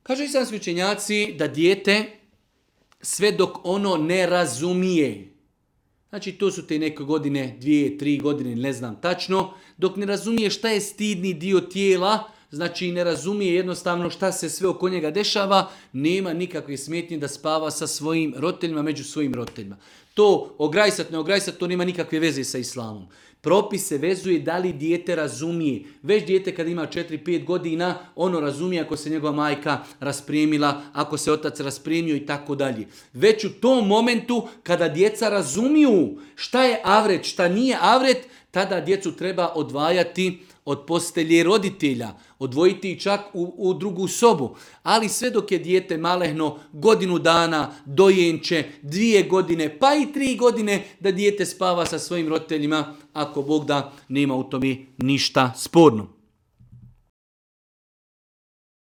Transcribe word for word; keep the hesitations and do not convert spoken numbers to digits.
Kažu islamski učenjaci da dijete sve dok ono ne razumije, znači to su te neke godine, dvije, tri godine, ne znam tačno, dok ne razumije šta je stidni dio tijela, znači ne razumije jednostavno šta se sve oko njega dešava, nema nikakve smetnje da spava sa svojim roditeljima, među svojim roditeljima. To ograjsat, ne ograjsat, to nema nikakve veze sa islamom. Propis se vezuje da li dijete razumije. Već dijete kad ima četiri pet godina, ono razumije ako se njegova majka raspremila, ako se otac raspremio i tako dalje. Već u tom momentu kada djeca razumiju šta je avret, šta nije avret, tada djecu treba odvajati od postelje roditelja, odvojiti ih čak u, u drugu sobu. Ali sve dok je dijete malehno, godinu dana, dojenče, dvije godine, pa i tri godine, da dijete spava sa svojim roditeljima, ako Bog da, nema u tome ništa sporno.